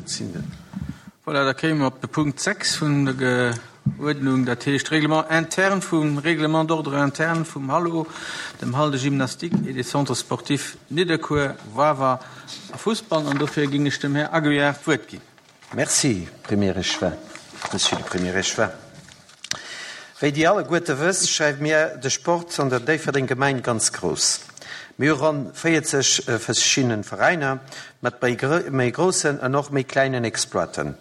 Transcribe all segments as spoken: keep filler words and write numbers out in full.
Dat sinn de. Voilà, da kéime mer op de Punkt sechs vun der Uerdnung, dat heescht Règlement interne vum Règlement d'ordre interne vum Hallo, dem Hall de gymnastique et des centres sportifs Nidderkuer, Wawer a Fussball. An dofir géing ech dem Här Aguiar d'Wuert ginn. Merci, Premier Échevin, Monsieur le Premier Échevin. Wéi Dir alleguerte wësst, schreiwe mir de Sport an der Déifferdeng Gemeng ganz grouss. Mir hu ronn véierzeg verschidden Veräiner mat méi groussen an och méi klengen Exploiten.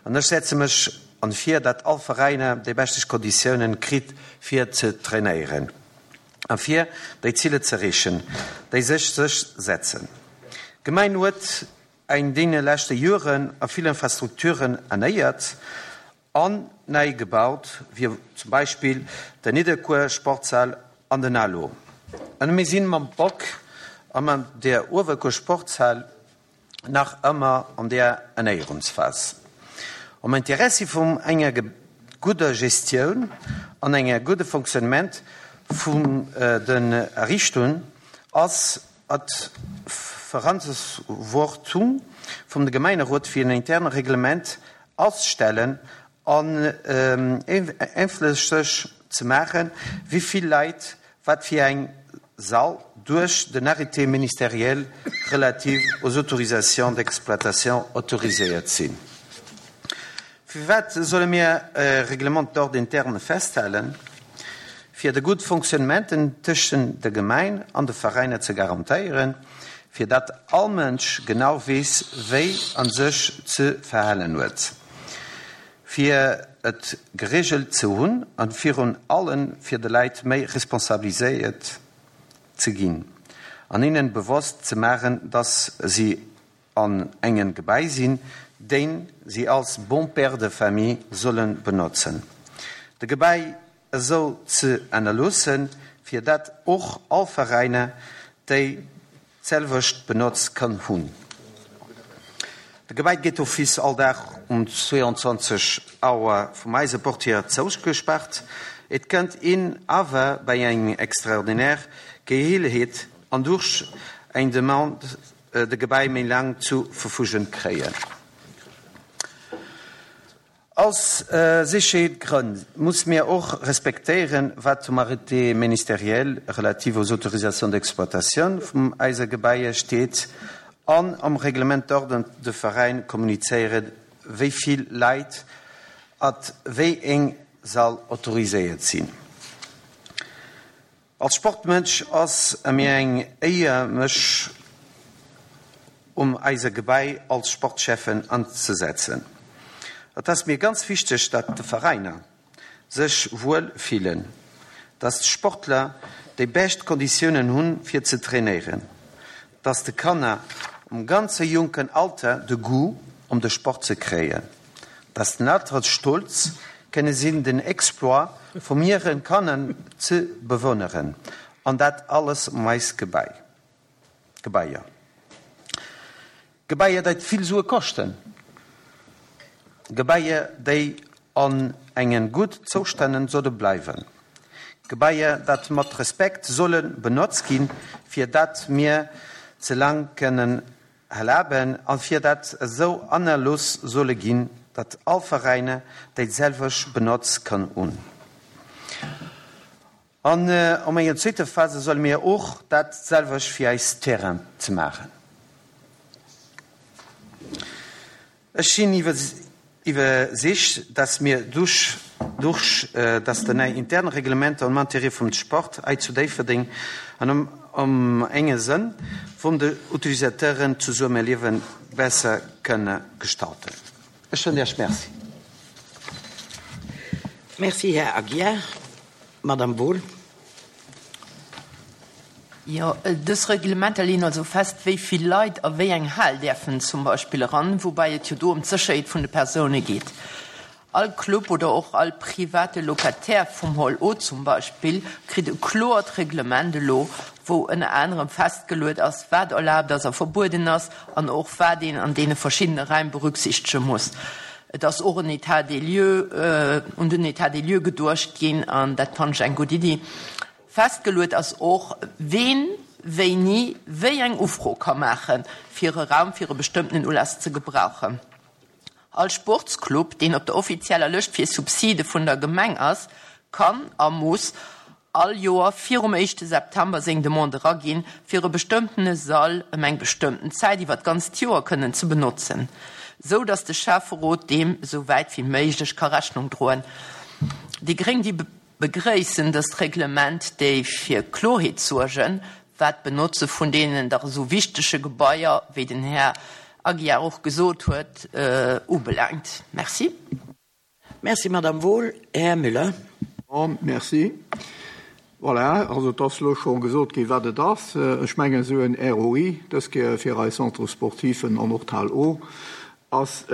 An ech setze mech an fir, dat all Veräiner déi beschte Konditiounen kritt fir ze trainéieren a fir déi Ziller ze erreechen, déi sech sech setzen. D'Gemeng huet an deene leschte Joren a vill Infrastrukturen ernéiert an nei gebaut, wéi zum Beispill den Nidderkuer Sportshal an den Alo. An mir sinn mam Bock a mat der Uewerkuer Sportshal nach ëmmer an der Ernéierungsphas. Am Interessi vun enger gudder Gestioun an enger gudde Fonctionnement vun den Ariichtungen ass et Verantwortung vum de Gemeinderot fir en interne Reglement auszustellen an ëffentlech ze maachen, wéi vill Leit wat fir eng Sall duerch den Arrêté ministériel relatif aux autorisations d'exploitation autoriséiert sinn. Firwat solle mir e Règlement d'ordre interne festhalen? Fir de gutt Fonctionnement tëschent der Gemeng an de Veräiner ze garantéieren, fir dat all Mënsch genau weess, wéi en sech ze verhalen huet. Fir et geregelt ze hunn an virun allem fir de Leit méi Responsabilitéit ze ginn. An hinnen bewosst ze maachen, dass si an engem Gebai sinn, deen si als bon père de famille sollen benotzen. De Gebai esou ze ënnerloossen, fir dat och all Veräiner déi selwecht Benotz kann hunn. De Gebai geet d'office all Dag um zwéianzwanzeg Auer vum eise Portier zougespaart. Et kënnt een awer bei eng extraordinär Geleeënheet an duerch eng Demande de Gebai méi laang zu Verfügung kréien. Aus Sécherheetsgrënn muss mir och respektéieren, wat um Arrêté ministériel relatif aux autorisations d'exploitation vum eise Gebaier steet an am Règlement d'ordre de Veräin kommunizéieren, wéi vill Leit at wéi eng Sall autoriséiert sinn. Als Sportmënsch ass et mir eng Éier, mech um eise Gebai als Sportschäffen anzesetzen. Et ass mir ganz wichteg, datt de Veräiner sech wuel fillen, datt d'Sportler déi bescht Konditiounen hunn, fir ze trainéieren, datt de Kanner um ganze jonken Alter de Goût um de Sport ze kréien, datt den Eltere stolz kënne sinn, den Exploit vum hire Kanner ze bewonneren, an dat alles um eis Gebai. Gebaier. Gebaier, déi vill Sue koschten. Gebaier, déi an engen gutt Zoustännen solle bleiwen. Gebaier, dat mat Respekt solle benotzt ginn, fir dat mir ze laang kënnen erlaben an fir dat esou ënnerlooss solle ginn, dat all Veräiner déi selwecht Benotz kann hunn. An an enger zweeter Phase solle mir och dat selwecht fir eis Terrain ze maachen. Ech sinn iwwersicht, dass mir duerch duerch dass de nei interne Reglementer am Intérêt vum Sport hei zu Déifferdeng an am am enge Sënn vum de Utilisateuren d'Zesummeliewe besser kënne gestalten. Ech soen Iech Merci. Merci, Här Aguiar. Madame Wohl. Jo, dës Reglementer leeën also fest, wéi vill Leit a wéi eng Hal däerfen zum Beispill eran, woubäi et jo do ëm d'Sécherheet vun de Persoune geet. All Club oder och all private Locataire vum Hall O zum Beispill kritt e kloert Reglement elo, wou ënner anerem festgeluet ass, wat erlaabt ass a verbueden ass an och wat een an deene verschiddene Raim berücksichtege muss. Et ass och en État des lieux, un den État des lieux geduecht ginn an dat fannen ech eng gutt Iddi. Festgeluet ass och, ween wéini wéi eng Ufro ka maachen, fir e Raum fir e bestëmmtenen Ulass ze gebrauchen. All Sportsclub, deen op der offizieller Lëscht fir Subside vun der Gemeng ass, kann a muss all Joer virum éischte September seng Demande eraginn, fir e bestëmmtene Sall ëm eng bestëmmten Zäit iwwer d'ganzt Joer kënnen ze benotzen, sou datt de Schäfferot deem esou wäit wéi méiglech ka Rechnung droen. Déi gréng, déi begréissen dëst Reglement, déi fir Kloerheet suergen, wat d'Benotze vun deenen dach esou wichtege Gebaier, wéi den Här Aguiar och gesot huet, ubelaangt. Merci. Merci, Madame Wohl. Här Müller. Bon, merci. Voilà, also et ass elo scho gesot ginn, wat et ass. Ech mengen, esou en R O I, dës Kéier fir eis Centres sportifen an och d'Hal O, ass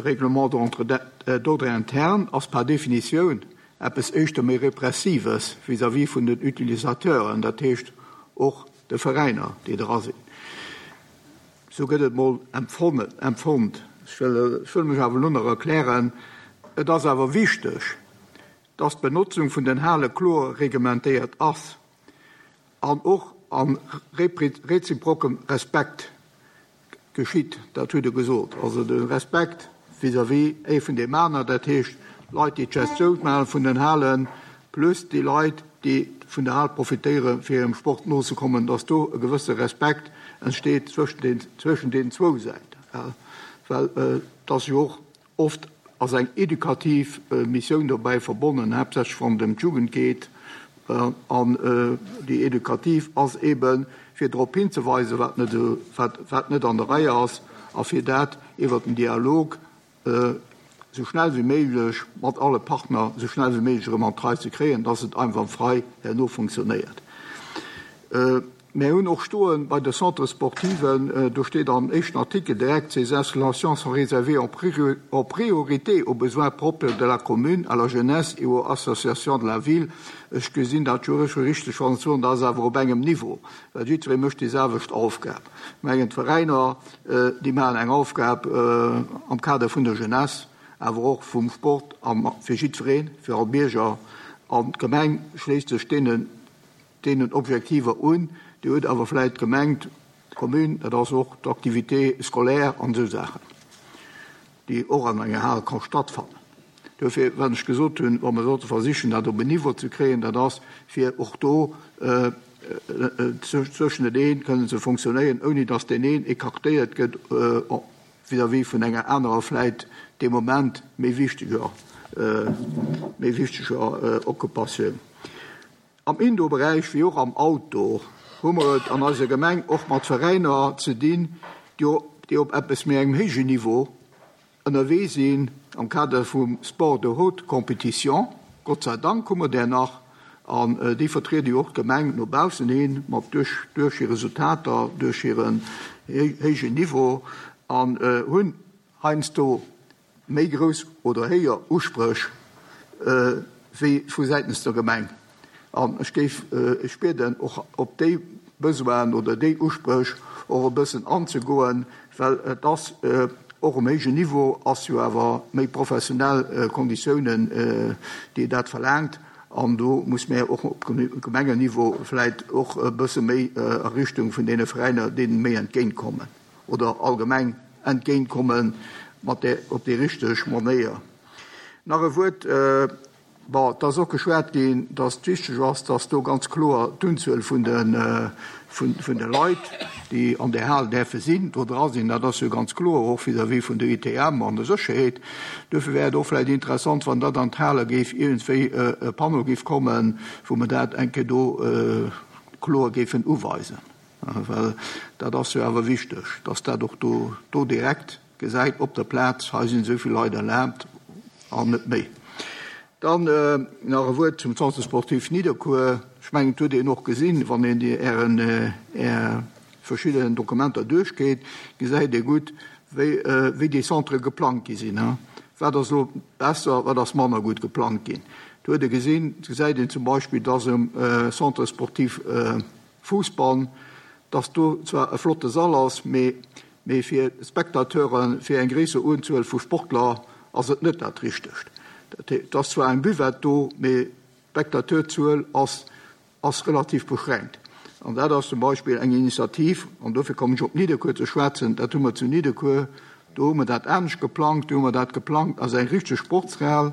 Règlement d'ordre interne, ass par Definitioun eppes éischter méi Repressives vis-à-vis vun den Utilisateuren, dat heescht och de Veräiner, déi dra sinn. Sou gëtt et mol empfonnt. Ech wëll mech awer elo nach erklären. Et ass awer wichteg, dass d'Benotzung vun den Hale kloer reglementéiert ass an och a reziprokem Respekt geschitt. Dat hutt Der gesot. Also de Respekt vis-à-vis ee vun deem aner, dat heescht d'Leit, déi d'Gestioun maache vun den Halen, plus déi Leit, déi vun der Hal profitéiere fir hirem Sport nozekommen, dass do e gewësse Respekt entsteet zwëschen deenen zwou Säiten. Well et ass jo och oft ass eng edukativ Missioun dobäi verbonnen, haaptsächlech wann et ëm d'Jugend geet. An déi edukativ ass eeben, fir drop hinzeweisen, wat net, wat net an der Rei ass, a fir dat iwwert den Dialog esou schnell wéi méiglech mat alle Partner esou schnell wéi méiglech erëm an d'Rei ze kréien, dass et einwandfrei herno funktionéiert. Mir hunn och stoen bei de Centres sportiven, do steet am éischten Artikel direkt, Ces installations sont réservées en priorité aux besoins propres de la commune, à la jeunesse et aux associations de la ville. Ech gesinn dat juristesche richteg, wann ech soen, dat ass awer op engem Niveau, well jiddweree mécht déi selwecht Aufgab. Ech mengen, d'Veräiner, déi maachen eng Aufgab am Kader vun der Jeunesse, awer och vum Sport a fir jiddwereen, fir all Bierger. An d'Gemeng schléisst sech deenen, deenen Objektiver un. Dir hutt awer vläicht gemengt, d'Commune, dat ass och d'Activité scolaire an esou Saachen, déi och an enger Hal ka stattfannen. Duerfir, wat ech gesot hunn, wa mer sollte versichen, dat op en Niveau ze kréien, dat ass, fir och do zwëscheneneen kënnen ze fonctionnéieren, ouni datt deen een écartéiert gëtt vis-à-vis vun enger anerer vläicht dee Moment méi wichteger, méi wichteger Occupatioun. Am Indoor-Beräich wéi och am Outdoor hu mer et an eiser Gemeng och mat Veräiner ze dinn, déi op eppes méi engem héijen Niveau ënnerwee sinn am Kader vum Sport de haute compétition. Gott sei Dank hu mer där nach, an déi vertriede jo och d'Gemeng no baussen hin mat duerch hir Resultater, duerch hiren héijen Niveau, an hunn heiansdo méi grouss oder héijer Uspréch wéi vu säitens der Gemeng. An ech géif Iech bieden, och op déi Besoinen oder déi Uspréch och e bëssen anzegoen, well et ass och um héijen Niveau, ass jo awer méi professionell Konditiounen, déi dat verlaangt. An do muss mär och op Gemengenniveau vläicht och e bësse méi a Richtung vun deene Veräiner deenen méi entgéintkommen oder allgemeng entgéintkommen mat där, op déi richteg Manéier. Nach e Wuert, bon, et ass och geschwat ginn, dass et wichteg ass, dass do ganz kloer d'Unzuel vun de, vun de Leit, déi an där Hal däerfe sinn, do dra sinn. Dat ass jo ganz kloer och vis-à-vis vun der I T M an der Sécherheet. Duerfir wär et och vläicht interessant, wann dat an d'Hale géif iergendwéi e Panneau géif kommen, wou mer dat eng Kéier do kloer géifen uweisen. Well dat ass jo awer wichteg, dass dat och do, do direkt gesäit op der Plaz, hei sinn esou vill Leit erlaabt an net méi. Dann nach e Wuert zum Centre sportif Nidderkuer. Ech mengen, et huet een och gesinn, wann een déi Ären, Är verschidden Dokumenter duerchgeet, gesäit ee gutt, wéi, wéi déi Centrë geplangt gi sinn. Wat ass elo besser, wat ass manner gutt geplangt ginn. Do huet ee gesinn, gesäit een zum Beispill, dass um Centre sportif Fousbann, dass do zwar e flotte Sall ass, mee, mee fir Spectateuren, fir eng gréisser Unzuel vu Sportler ass et net dat Richtegt. Et ass zwar eng Buvette do, mee d'Spectateurzuel ass, ass relativ beschränkt. An dat ass zum Beispill eng Initiativ, an dofir kommen ech op Nidderkuer ze schwätzen, dat hu mer zu Nidderkuer Do hu mer dat anescht geplangt. Do hu mer dat geplangt als eng richteg Sportshal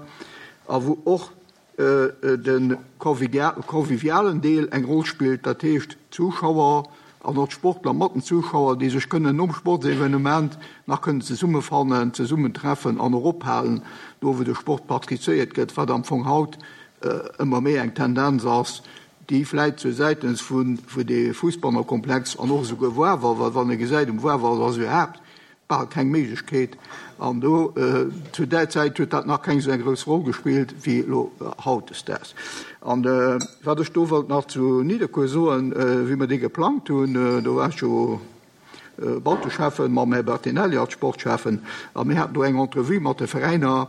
a wou och de convivialen Deel eng Roll spillt, dat heescht d'Zuschauer an och d'Sportler mat den Zuschauer, déi sech kënnen nom Sportsevenement nach kënnen zesummefannen, zesummentreffen an och ophalen, do wou de Sport praktizéiert gëtt, wat am Fong haut ëmmer méi eng Tendenz ass, déi vläit zur säitens vun de Fussballerkomplex an och esouguer Woarwer, well wann ee gesäit, um Woarwer ass iwwerhaapt bal keng Méiglechkeet an do zu där Zäit huet dat nach keng esou eng grouss Roll gespillt wéi elo hautdesdaags. An wat ech do wollt nach zu Nidderkuer soen, wéi mer dee geplangt hunn, do war ech jo Bauteschäffen mam Här Bertinelli als Sportschäffen a mir haten do eng Entrevue mat de Veräiner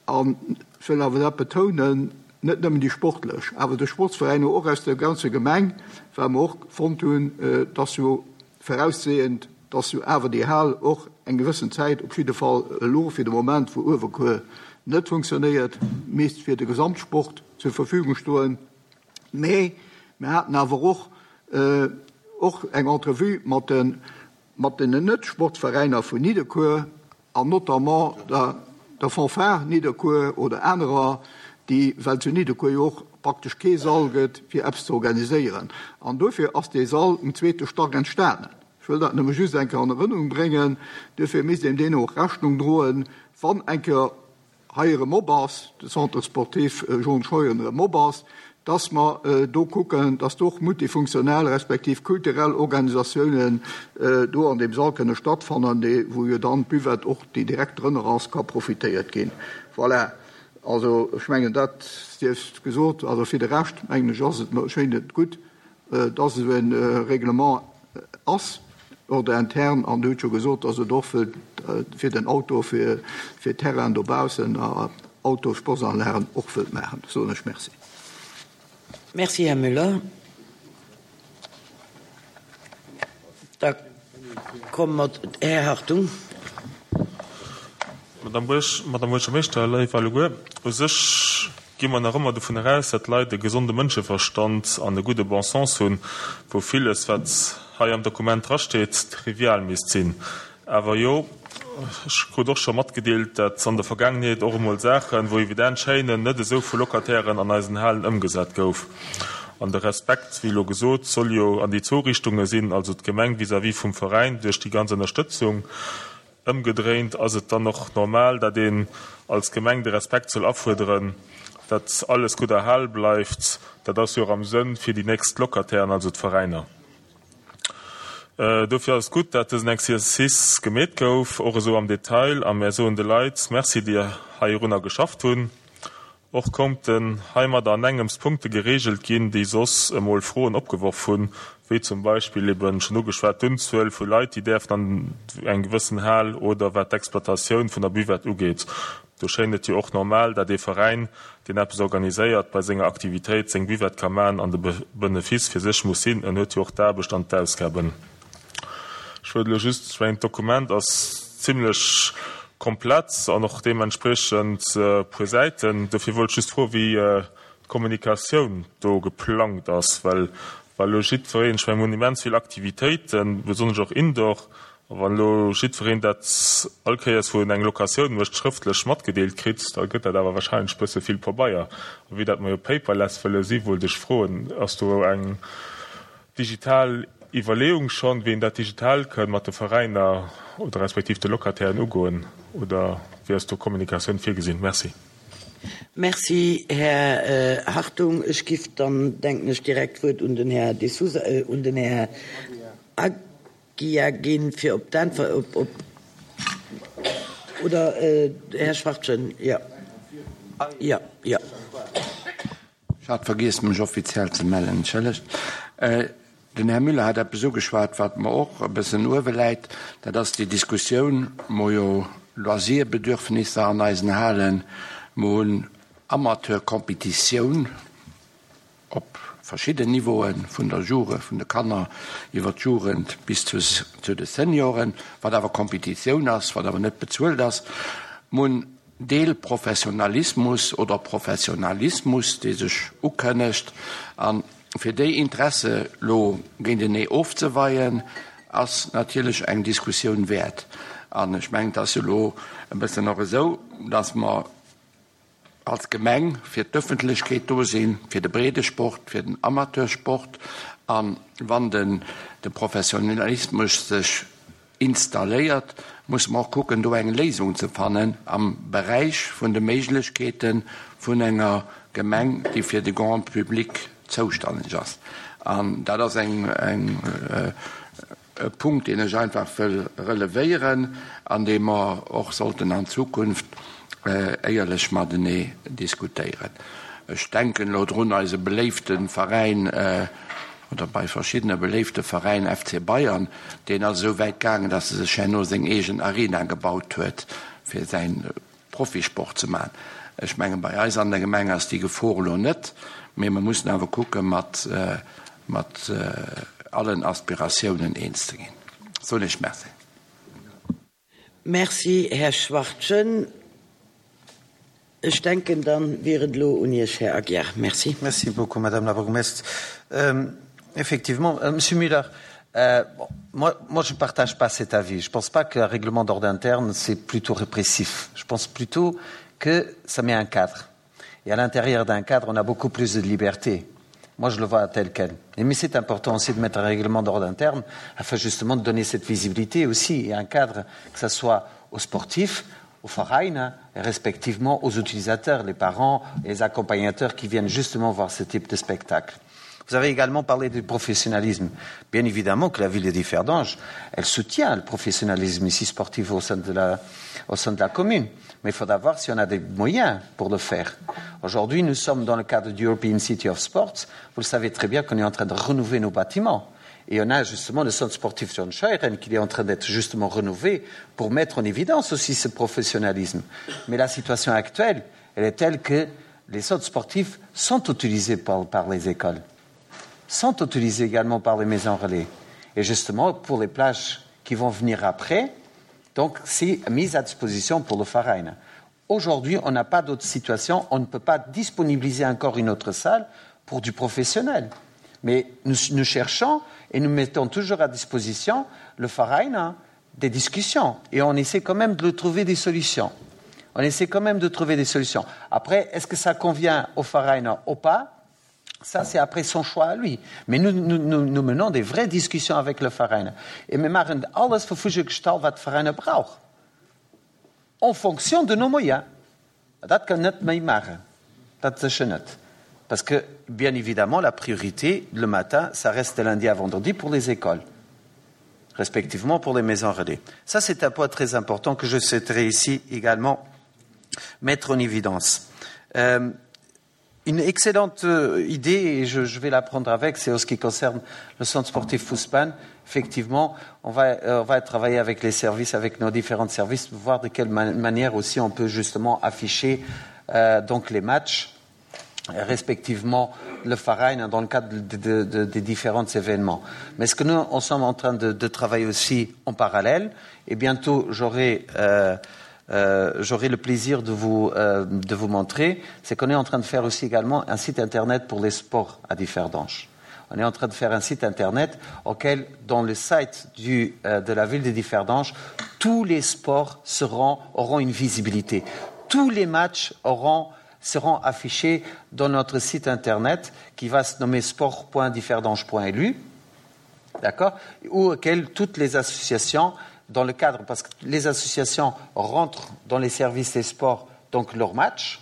an ech wëll awer dat betounen, net nëmmen déi sportlech, awer de Sportsveräiner och aus der ganzer Gemeng, well mer och fonnt hunn, dass jo voraussehend, dass jo awer déi Hal och eng gewëssen Zäit, op jidde Fall elo fir de Moment, wou Uewerkuer net funktionéiert, misst fir de Gesamtsport zur Verfügung stoen. Mee mir haten awer och och eng Entrevue mat de mat den Net-Sportveräiner vun Nidderkuer an notamment der der Fanfare Nidderkuer oder anerer, déi, well zu Nidderkuer jo och praktesch kee Sall gëtt, fir eppes ze organiséieren. An dofir ass dee Sall um zweete Stack entstanen. Ech wëll dat nëmme just eng Kéier an Erënnerung bréngen. Duerfir misst een deenen och Rechnung droen, wann eng Kéier hei erëm op ass, de Centre sportif Jean Scheuren erëm op ass, dass mer do kucken, dass do och multifunktional respektiv kulturell Organisatiounen do an deem Sall kënne stattfannen, dee wou jo dann d'Buvette och, déi direkt drënner ass, ka profitéiert ginn. Voilà. Also ech mengen, dat sief gesot. Also fir de Rescht, mengen ech, ass et, schéint et gutt, dass esou e Règlement ass, Ordre interne, an Dir hutt jo gesot, dass et och fir den Auto, fir Terrainen dobaussen a Autosportsanlagen och wëllt maachen. Soen ech Merci. Merci, Här Müller. Da komme mer, Här Hartung. Madame Buerg, Madame Buergermeeschter, léif alleguer, u sech gi mer nach ëmmer dovun eraus, datt d'Leit e gesonde Mënscheverstand an e gudde Bon sens hunn, wou villes, wat hei am Dokument drasteet, trivial misst sinn. Awer jo, ech krut och scho matgedeelt, datt an der Vergaangenheet och emol Saachen, wou evident schéinen, net esou vu Locatairen an eisen Halen ëmgesat gouf. An de Respekt, wéi elo gesot, soll jo an déi zwou Richtunge sinn, also d'Gemeng vis-à-vis vum Veräin duerch déi ganz Ënnerstëtzung. Ëmgedréint ass et dann och normal, datt een als Gemeng de Respekt soll afuerderen, datt alles gutt erhal bleift. Dat ass jo och am Sënn fir déi nächst Locatairen, also d'Veräiner. Dofir ass et gutt, datt dësen Exercice gemeet gouf, och esou am Detail, a mär soen de Leit Merci, déi heirunner geschafft hunn. Och konnten heimadder an engems Punkte gereegelt ginn, déi soss emol Froen opgeworf hunn, wéi zum Beispill eben schonn ugeschwat d'Unzuel vu Leit, déi däerfen an eng gewëssen Hal oder wat d'Exploitatioun vun der Buvette ugeet. Do schéint et jo och normal, dat ee Veräin, deen eppes organiséiert, bei senger Aktivitéit seng Buvette ka maachen an de Benefice fir sech muss sinn. En huet jo och d'Aarbecht an d'Ausgaben. Ech wëllt elo just, ech mengen d'Dokument ass zimlech komplett an och deementspriechend e puer Säiten. Dofir wollt ech just froen, wéi d'Kommunikatioun do geplangt ass, well wa elo jiddwereen, ech mengen, mir hunn immens vill Aktivitéiten, besonnesch och indoor, a wann elo jiddwereen dat all Kéiers, wou en eng Locatioun mécht, schrëftlech matgedeelt kritt, da gëtt dat awer wahrscheinlech e bësse vill Pabeier. A vue dat mer jo paperless wëlle si wollt ech froen, ass do eng digital Iwwerleeung schonn, wéi een dat digital kënn mat de Veräiner oder respektiv de Locatairen ugoen, oder wéi ass do Kommunikatioun virgesinn? Merci. Merci, Här Hartung. Ech giff dann, denken ech, direkt d'Wuert un den Här De Sousa, un den Här Aguiar ginn, fir op d'Äntwer, op, op, oder Här Schwachtgen, jo, jo, jo. Ech hat vergiess, mech offiziell ze mellen, entschëllegt. Den Här Müller hat eppes ugeschwat, wat mer och e bëssen uewe läit. Dat ass déi Diskussioun, mer jo Loisirbedürfnisser an eisen Halen, mer hunn Amateurkompetitioun op verschidden Niveauen, vun der Jugend, vun de Kanner iwwer d'Jugend bis zu zu de Senioren, wat awer Kompetitioun ass, wat awer net bezuelt ass. Mer hunn Deelprofessionalismus oder Professionalismus, dee sech ukënnegt. A fir déi Interesse lo géintenee ofzeweien, ass natierlech eng Diskussioun wäert. An ech mengen, et ass jo elo e bëssen och esou, dass mer als Gemeng fir d'Öffentlechkeet do sinn, fir de Breedesport, fir den Amateursport. A wann den de Professionalismus sech installéiert, musse mer och kucken, do eng Léisung ze fannen am Beräich vun de Méiglechkeete vun enger Gemeng, déi fir de Grand public zoustanneg ass. An dat ass eng, eng, e Punkt, deen ech einfach wëll relevéieren an dee mer och sollten an Zukunft éierlech matenee diskutéieren. Ech denken elo drun, eise beléifte Veräin, oder bei verschiddene beléifte Veräin, F C Bayern, deen ass esou wäit gaangen, datt e sech herno seng eegen Arena gebaut huet, fir säin Profisport ze maachen. Ech mengen, bei eis an der Gemeng ass déi Gefor elo net, mee mer mussen awer kucke mat, mat allen Aspiratiounen eens ze ginn. Soen ech Merci. Merci, Här Schwachtgen. Ech denken, dann wier et elo un Iech, Här Aguiar. Merci. Merci beaucoup, Madame la bourgmestre. Euh, effectivement, euh, Monsieur Müller, euh, bon, moi, moi, je ne partage pas cet avis. Je ne pense pas qu'un règlement d'ordre interne, c'est plutôt répressif. Je pense plutôt que ça met un cadre. Et à l'intérieur d'un cadre, on a beaucoup plus de liberté. Moi, je le vois tel quel. Et mais c'est important aussi de mettre un règlement d'ordre interne afin justement de donner cette visibilité aussi et un cadre, que ce soit aux sportifs, aux Vereine et respectivement aux utilisateurs, les parents et les accompagnateurs qui viennent justement voir ce type de spectacle. Vous avez également parlé du professionnalisme. Bien évidemment que la ville de Differdange, elle soutient le professionnalisme ici sportif au sein de la, au sein de la commune. Mais il faudra voir si on a des moyens pour le faire. Aujourd'hui, nous sommes dans le cadre du European City of Sports. Vous le savez très bien qu'on est en train de renouveler nos bâtiments. Et on a justement le centre sportif John Scheuren qui est en train d'être justement rénové pour mettre en évidence aussi ce professionnalisme. Mais la situation actuelle, elle est telle que les centres sportifs sont utilisés par, par les écoles, sont utilisés également par les maisons relais. Et justement, pour les plages qui vont venir après, donc c'est mis à disposition pour le Verein. Aujourd'hui, on n'a pas d'autre situation, on ne peut pas disponibiliser encore une autre salle pour du professionnel. Mais nous, nous cherchons et nous mettons toujours à disposition le Verein des discussions. Et on essaie quand même de trouver des solutions. On essaie quand même de trouver des solutions. Après, est-ce que ça convient au Verein ou pas? Ça, c'est après son choix à lui. Mais nous, nous, nous, nous menons des vraies discussions avec le Verein. Et wir machen alles verfügungsgestalt, was Verein braucht. En fonction de nos moyens. Dat kann net méi machen. Dat sécher net. Parce que, bien évidemment, la priorité, le matin, ça reste de lundi à vendredi pour les écoles, respectivement pour les maisons relais. Ça, c'est un point très important que je souhaiterais ici également mettre en évidence. Euh, une excellente euh, idée, et je, je vais la prendre avec, c'est en ce qui concerne le centre sportif Fussban. Effectivement, on va, euh, on va travailler avec les services, avec nos différents services, pour voir de quelle man manière aussi on peut justement afficher euh, donc les matchs, respectivement le Verein dans le cadre de, de, de, des différents événements. Mais ce que nous, on sommes en train de, de travailler aussi en parallèle, et bientôt j'aurai euh, euh, j'aurai le plaisir de vous, euh, de vous montrer, c'est qu'on est en train de faire aussi également un site internet pour les sports à Differdange. On est en train de faire un site internet auquel, dans le site du, euh, de la ville de Differdange, tous les sports seront, auront une visibilité. Tous les matchs auront seront affichés dans notre site internet qui va se nommer sport point differdange point L U, d'accord, ou auquel toutes les associations, dans le cadre, parce que les associations rentrent dans les services des sports, donc leurs matchs,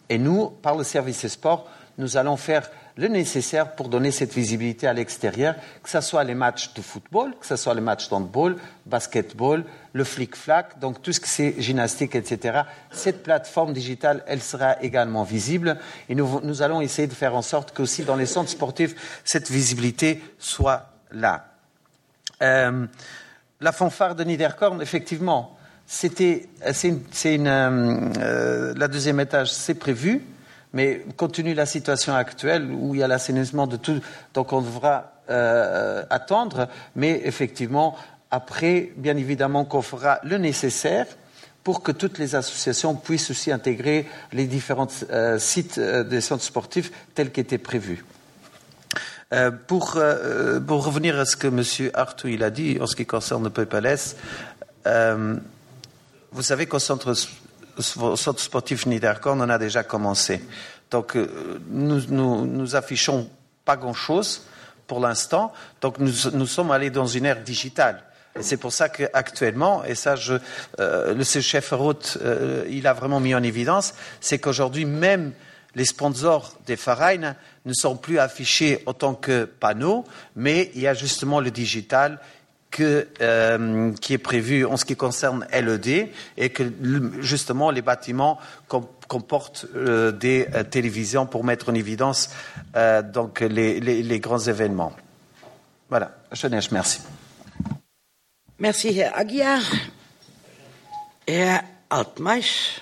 et nous, par le service des sports, nous allons faire le nécessaire pour donner cette visibilité à l'extérieur, que ce soit les matchs de football, que ce soit les matchs d'handball, basketball, le flic-flac, donc tout ce que c'est gymnastique, et cetera. Cette plateforme digitale, elle sera également visible et nous, nous allons essayer de faire en sorte qu'aussi dans les centres sportifs, cette visibilité soit là. Euh, la fanfare de Niederkorn, effectivement, c'était, c'est une, c'est une, euh, la deuxième étage, c'est prévu, mais compte tenu de la situation actuelle où il y a l'assainissement de tout, donc on devra euh, attendre, mais effectivement, après, bien évidemment qu'on fera le nécessaire pour que toutes les associations puissent aussi intégrer les différents euh, sites euh, des centres sportifs tels qu'étaient prévus. Euh, pour, euh, pour revenir à ce que monsieur. Arthur il a dit en ce qui concerne le P P L S, Euh, vous savez qu'au centre, au centre sportif Niederkorn, on a déjà commencé. Donc euh, nous, nous, nous affichons pas grand-chose pour l'instant. Donc nous, nous sommes allés dans une ère digitale. Et c'est pour ça qu'actuellement, et ça, je, euh, le chef Roth, euh, il a vraiment mis en évidence, c'est qu'aujourd'hui, même les sponsors des Vereins ne sont plus affichés en tant que panneaux, mais il y a justement le digital que, euh, qui est prévu en ce qui concerne LED et que justement les bâtiments comportent euh, des euh, télévisions pour mettre en évidence euh, donc les, les, les grands événements. Voilà, je merci. Merci, Här Aguiar. Här Altmeisch.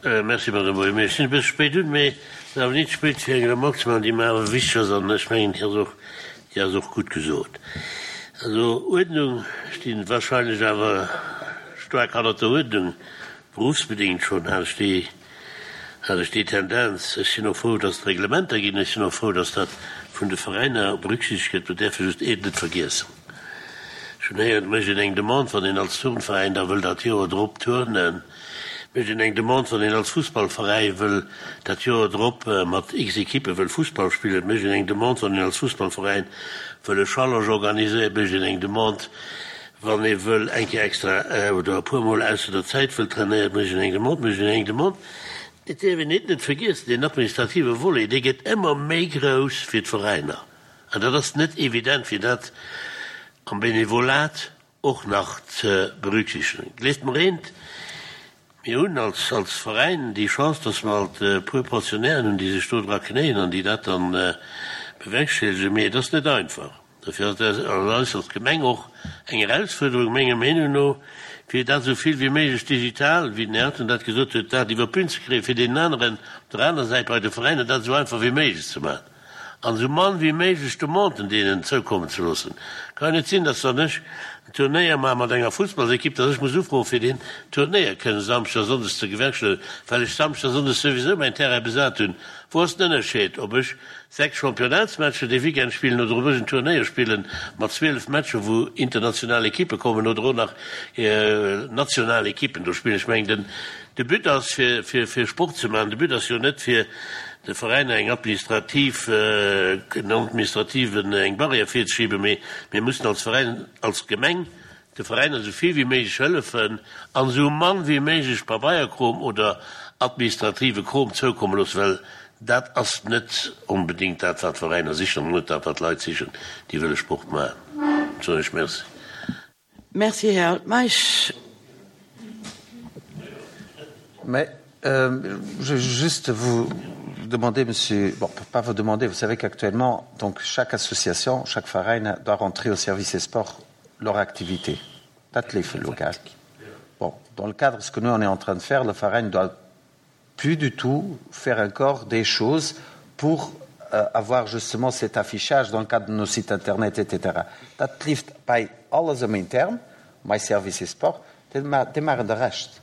Äh, merci, Madame Boehm. Ech sinn e bësse spéit un, mee et ass awer nit spéit fir eng Remark ze maachen, déi mer awer wichteg ass an ech mengen, déi ass och, déi ass och gutt gesot. Also Uerdnung, ech stinn wahrscheinlech awer staark hannert der Uerdnung, berufsbedingt schonn hat ech déi, hat ech déi Tendenz. Ech sinn och frou, dass et Reglementer ginn, ech sinn och frou, dass dat vun de Veräiner berücksichtegt gëtt. Mer däerfe just eent net vergiessen, Ech hunn héieren, et mécht een eng Demande, wann een als Turnveräin da wëll dat Joer drop turnen, mécht een eng Demande, wann een als Fussballveräi wëll dat Joer drop mat x Ekippe wëll Fussball spillen, et mécht een eng Demande, wann een als Fussballveräin wëll e Challenge organiséieren, et mécht een eng Demande, wann ee wëll eng Kéier extra oder e puermol ausser der Zäit wëll trainéieren, et mécht een eng Demande, et mécht een eng Demande. Et däerf een net vergiessen, deen administrative Volet, dee gëtt ëmmer méi grouss fir d'Veräiner. An dat ass net evident, fir dat am Benevolat och nach ze berücksichtegen. Gleeft mer eent, mir hunn als, als Veräin déi Chance, dass mer alt e puer Pensionnairen hunn, déi sech do dra knéien an déi dat dann bewerkstelligen, mee et ass net einfach. Dofir ass dat eis als Gemeng och eng Erausfuerderung, menger Meenung no, fir dat esou vill wéi méiglech digital, wéi den Här Anton dat gesot huet, dat iwwer d'Bün ze kréien, fir deenen aneren op der aner Säit bei de Veräiner dat esou einfach wéi méiglech ze maachen. An esou mann wéi méiglech Demanden deenen zoukommen ze loossen. Kann jo net sinn, dass wann ech en Turnéier maache mat enger Fussballsekipp, dass ech muss ufroen, fir deen Turnéier kënnen Samschdes a Sonndes ze gewerkstellegen, well ech Samschdes a Sonndes souwisou mäin Terrain besat hunn. Wou ass den Ënnerscheed, ob ech sechs Championnatsmatcher dee Weekend spillen oder ob ech en Turnéier spille mat zwielef Matcher, wou international Ekippe kommen oder och nach national Ekippen do spillen? Ech mengen, den De But ass fir fir Sport ze maachen. De But ass jo net fir de Veräiner eng administrativ, en administrativen, eng Barrière virzeschiben, mee mir mussen als Veräin, als Gemeng de Veräiner esou vill wéi méiglech hëllefen an esou mann wéi méiglech Pabeierkrom oder administrative Krom zoukomme loossen, well dat ass net onbedéngt dat wat d'Veräiner sichen an net dat wat d'Leit sichen, déi wëlle Sport maachen. Soen ech Merci. Merci, Här Altmeisch. Mais euh, je vais juste vous demander, monsieur, bon, pas vous demander, vous savez qu'actuellement, donc chaque association, chaque Verein doit rentrer au service des sports leur activité. Dat leeft local. Bon, dans le cadre de ce que nous on est en train de faire, le Verein ne doit plus du tout faire encore des choses pour euh, avoir justement cet affichage dans le cadre de nos sites internet, etc. Dat leeft bei alles am intern, my service et sport, démarre de reste.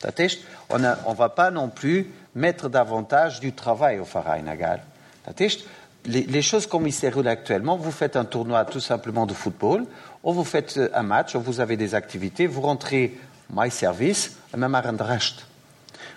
Dat heescht, on ne va pas non plus mettre davantage du travail au Verein egal. Dat heescht, les, les choses comme ils se déroulent actuellement, vous faites un tournoi tout simplement de football, ou vous faites euh, un match, ou vous avez des activités, vous rentrez my service, même à Rescht.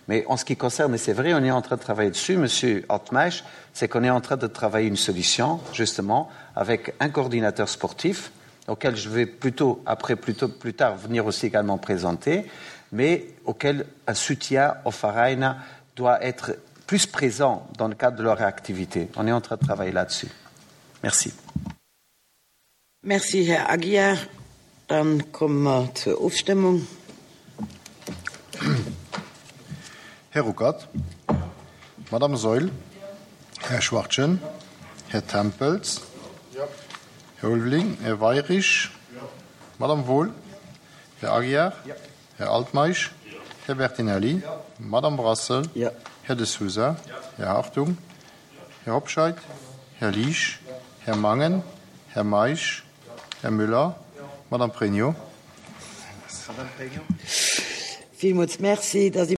Mais en ce qui concerne, et c'est vrai, on est en train de travailler dessus, Monsieur Altmaisch, c'est qu'on est en train de travailler une solution, justement, avec un coordinateur sportif, auquel je vais plutôt, après, plutôt, plus tard, venir aussi également présenter, mais auquel un soutien au Verein doit être plus présent dans le cadre de leur activité. On est en train de travailler là-dessus. Merci. Merci, Här Aguiar. Dann komme mer zur Ofstëmmung. Här Ruckert, Madame Saeul, Här Schwachtgen, Här Tempels, Här Ulveling, Här Weyrich, Madame Wohl, Här Aguiar, Här Altmeisch, Här Bertinelli, Madame Brassel, Här De Sousa, Här Hartung, Här Hobscheit, Här Liesch, Här Mangen, Här Meisch, Här Müller, Madame Pregno. Villmools Merci.